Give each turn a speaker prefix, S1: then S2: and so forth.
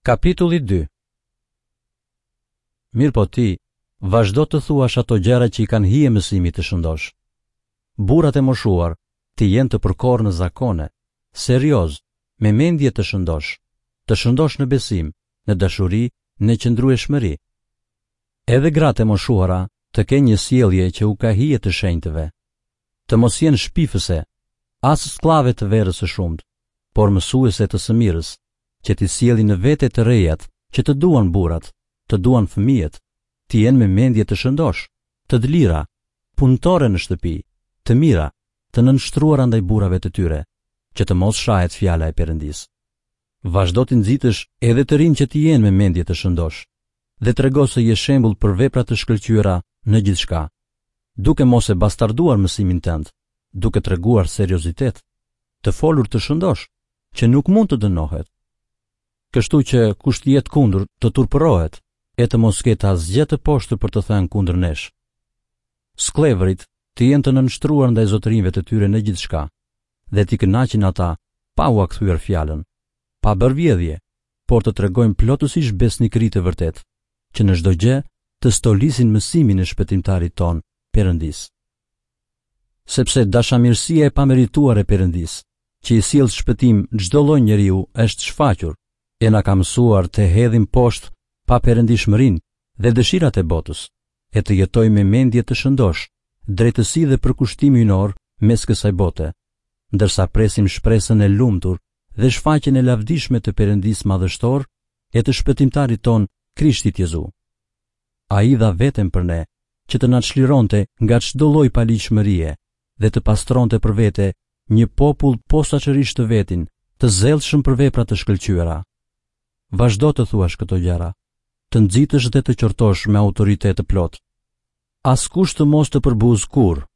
S1: Kapitulli 2 Mirëpo ti, vazhdo të thuash ato gjëra që i kanë hije mësimit të shëndoshë. Burrat e moshuar të jenë të përkorë në zakone, seriozë, me mendje të shëndoshë, të shëndoshë në besim, në dashuri, në qëndrueshmëri. Edhe gratë e moshuara të kenë një sjellje që u ka hije të shenjtëve. Të mos jenë shpifëse, as skllave të verës së shumtë, por mësuese të së mirës, që t'i sjellin në vete të rejat, që të duan burrat, të duan fëmijët, të jenë me mendje të shëndoshë, të dlira, punëtore në shtëpi, të mira, të nënshtruara ndaj burrave të tyre, që të mos shahet fjala e Perëndisë. Vazhdo t'i nxitësh edhe të rinjtë që të jenë me mendje të shëndoshë dhe trego se je shembull për vepra të shkëlqyera në gjithçka, duke mos e bastarduar mësimin tënd, duke treguar seriozitet, të folur të shëndoshë, që nuk mund të dënohet. Kështu që kush të jetë kundër të turpërohet e të mos ketë asgjë të poshtër për të thënë kundër nesh. Skllevërit të jenë të nënshtruar ndaj zotërinjve të tyre në gjithçka dhe t'i kënaqin ata pa ua kthyer fjalën, pa bërë vjedhje, por të tregojnë plotësisht besnikëri të vërtetë, që në çdo gjë të stolisin mësimin e Shpëtimtarit tonë, Perëndisë. Sepse dashamirësia e pamerituar e Perëndisë, që i sjell shpëtim çdo lloj njeriu është shfaqur, e na ka mësuar të hedhim poshtë paperëndishmërinë dhe dëshirat e botës, e të jetojmë me mendje të shëndoshë, drejtësi dhe përkushtim hyjnor mes kësaj bote, ndërsa presim shpresën e lumtur dhe shfaqjen e lavdishme të Perëndisë madhështor e të Shpëtimtarit tonë Krishtit Jezu. Ai dha veten për ne, që të na çlironte nga çdo lloj paligjshmërie dhe të pastronte për vete një popull posaçërisht të vetin, të zellshëm për vepra të shkëlqyera. Vazhdo të thuash këto gjëra, të nxitësh dhe të qortosh me autoritet të plotë. Askush të mos të përbuzë kurrë.